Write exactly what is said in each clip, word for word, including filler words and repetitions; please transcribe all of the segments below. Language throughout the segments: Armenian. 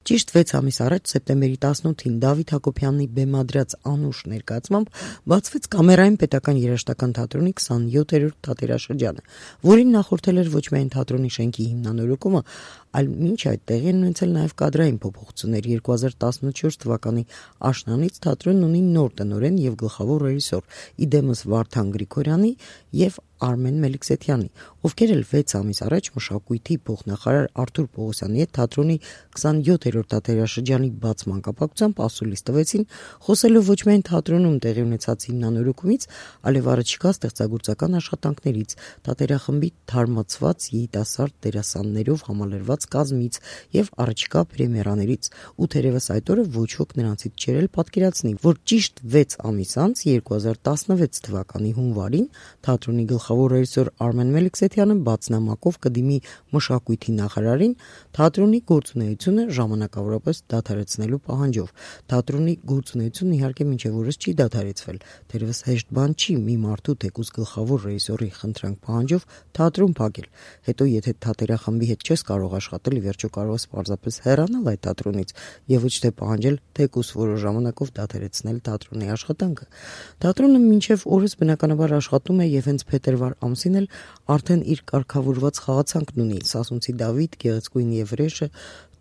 Ճիշտ վեց ամիս առաջ սեպտեմբերի տասնութին Դավիթ Հակոբյանի բեմադրած անուշ ներկայացմամբ բացվեց Կամերային պետական երաժշտական թատրոնի քսանյոթերորդ թատերաշրջանը, որին նախորդել էր ոչ միայն թատրոնի շենքի հիմնանորոգումը, այլ մինչ այդ տեղի են ունեցել նաև կադրային փոփոխություններ։ երկու հազար տասնչորս թվականի աշնանից թատրոնն ունի նոր տնօրեն եւ գլխավոր ռեժիսոր՝ իդեմս Վարդան Գրիգորյանի եւ Արմեն Մելիքսեթյանի, ովքեր էլ վեց ամիս առաջ մշակույթի փոխնախարար Արթուր Պողոսյանի հետ թատրոնի քսանյոթերորդ թատերաշրջանի բացման կապակցությամբ ասուլիս տվեցին, խոսելով ոչ միայն թատրոնում տեղի ունեցած հիմնանորոգումից, այլև առաջիկա ստեղծագործական աշխատանքներից, թատերախմբի թարմացված երիտասարդ դերասաններով համալրված կազմից եւ առաջիկա պրեմիերաներից։ Ու թերևս այդ օրը ոչ ոք նրանցից չէր էլ պատկերացնի, որ ճիշտ վեց ամիս անց երկու հազար տասնվեց թվականի հունվարին թատրոնի գլխավոր ռեժիսոր Արմեն Մելիքսեթյանը բացնամակով կդիմի մշակույթի նախարարին թատրոնի գործունեությունը ժամանակավորապես դադարեցնելու պահանջով։ Թատրոնի գործունեությունն իհարկե մինչև օրս չի դադարեցվել, թերևս հեշտ բան չի մի մարդու թեկուզ գլխավոր ռեժիսորի խնդրանք պահանջով թատրոն փակել։ Հետո եթե թատերախմբի հետ չես կարող աշխատել, ի վերջո կարող ես պարզապես հեռանալ այդ թատրոնից եւ ոչ թե պահանջել թեկուզ որոշ ժամանակով դադարեցնել թատրոնի աշխատանքը։ Թատրոնը մինչև օրս բնականաբար աշխատում է եւ հենց փետրվար ամսին էլ արդեն իր կարգավորված խաղացանքն ունի՝ Սասունցի Դավիթ, Գեղեցկուհին եւ Վրեժը,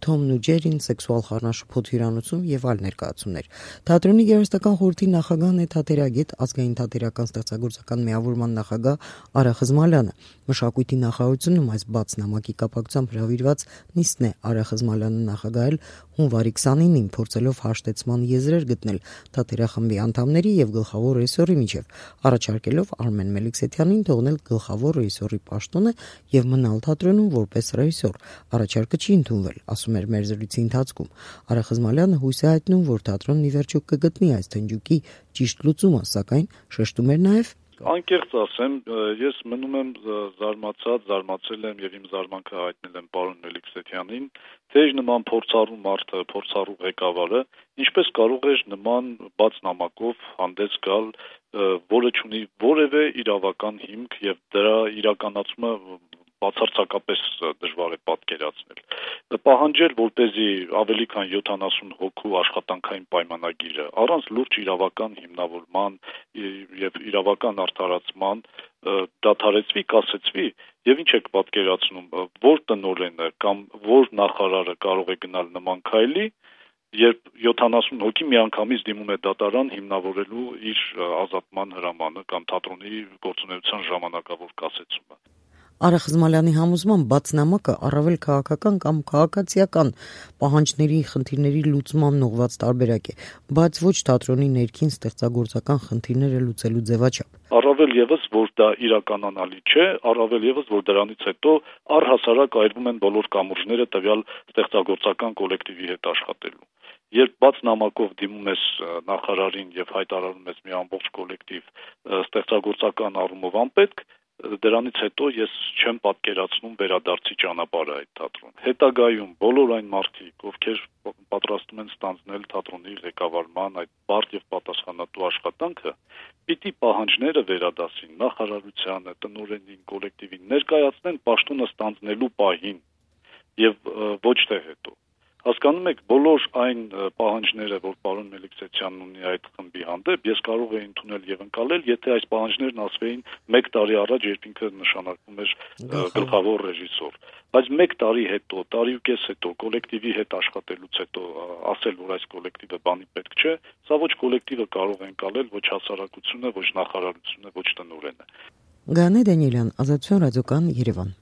Թոմն ու Ջերին, Սեքսուալ խառնաշփոթ հյուրանոցում եւ այլ ներկայացումներ։ Թատրոնի երաժշտական խորհրդի նախագահն է թատերագետ, ազգային թատերական ստեղծագործական միավորման նախագահ Արա Խզմալյանը։ Մշակույթի նախարարությունում այս բաց նամակի կապակցությամբ հրավիրված նիստն է Արա Խզմալյանը նախագահել հունվարի քսանինին, փորձելով հաշտեցման եզրեր գտնել թատերախմբի անդամների եւ գլխավոր ռեժիսորի միջեւ, առաջարկելով Արմեն Մելիքսեթյանին թողնել գլխավոր ռեժիսորի պաշտոնը եւ մնալ թատրոնում որպես ռեժիսոր։ Առաջարկը չի ընդունվել, ասում էր մեր զրույցի ընթացքում։ Արա Խզմալյանը հույս է հայտնում, որ թատրոնն ի վերջո կգտնի այս թնջուկի ճիշտ լուծումը, սակայն շեշտում էր նաեւ. Անկեղծ ասեմ, ես մնում եմ զարմացած, զարմացել եմ եւ իմ զարմանքը հայտնել եմ պարոն Մելիքսեթյանին, թե իր նման փորձառու մարդը, փորձառու ղեկավարը ինչպես կարող էր նման բաց նամակով հանդես գալ, որը չունի որևէ իրավական հիմք եւ դրա իրականացումը բացարձակապես դժվար է պատկերացնել։ Պահանջել, որպեսզի ավելի քան յոթանասուն հոգու աշխատանքային պայմանագիրը առանց լուրջ իրավական հիմնավորման եւ իրավական արդարացման դադարեցվի, կասեցվի, եւ ինչ եք պատկերացնում, որ տնօրենը կամ որ նախարարը կարող է գնալ նման քայլի, երբ յոթանասուն հոգի միանգամից դիմում է դատարան հիմնավորելու իր ազատման հրամանը կամ թատրոնի գործունեության ժամանակավոր կասեցումը։ Արա Խզմալյանի համոզմամբ բաց նամակը առավել քաղաքական կամ քաղաքացիական պահանջների, խնդիրների լուծման ուղղված տարբերակ է, բայց ոչ թատրոնի ներքին ստեղծագործական խնդիրները լուծելու ձևաչափ։ Առավել եւս, որ դա իրականանալի չէ, առավել եւս, որ դրանից հետո առհասարակ այրվում են բոլոր կամուրջները տվյալ ստեղծագործական կոլեկտիվի հետ աշխատելու։ Երբ բաց նամակով դիմում ես նախարարին եւ հայտարարում ես մի ամբողջ կոլեկտիվ ստեղծագործական առումով անպետք, դրանից հետո ես չեմ պատկերացնում վերադարձի ճանապարհը այդ թատրոն։ Հետագայում բոլոր այն մարդիկ, ովքեր պատրաստում են ստանձնել թատրոնի ղեկավարման այդ բարդ եւ պատասխանատու աշխատանքը, պիտի պահանջները վերադասին նախարարությանը, տնօրենին, կոլեկտիվին, ներկայացնեն պաշտոնը ստանձնելու պահին եւ ոչ թե հետո։ Հասկանում եք, բոլոր այն պահանջները, որ պարոն Մելիքսեթյանն ունի այդ խմբի հանդեպ, ես կարող էի ընդունել եւ ընկալել, եթե այս պահանջներն ասվեին մեկ տարի առաջ, երբ ինքը նշանակվում էր գլխավոր ռեժիսոր։ Բայց մեկ տարի հետո, տարի ու կես հետո, կոլեկտիվի հետ աշխատելուց հետո ասել, որ այս կոլեկտիվը բանի պետք չէ, սա ոչ կոլեկտիվը կարող է ընկալել, ոչ հասարակությունը, ոչ նախարարությունը, ոչ տնօրենը։ Գանե Դանիելյան, Ազատություն ռադիոկան, Երևան։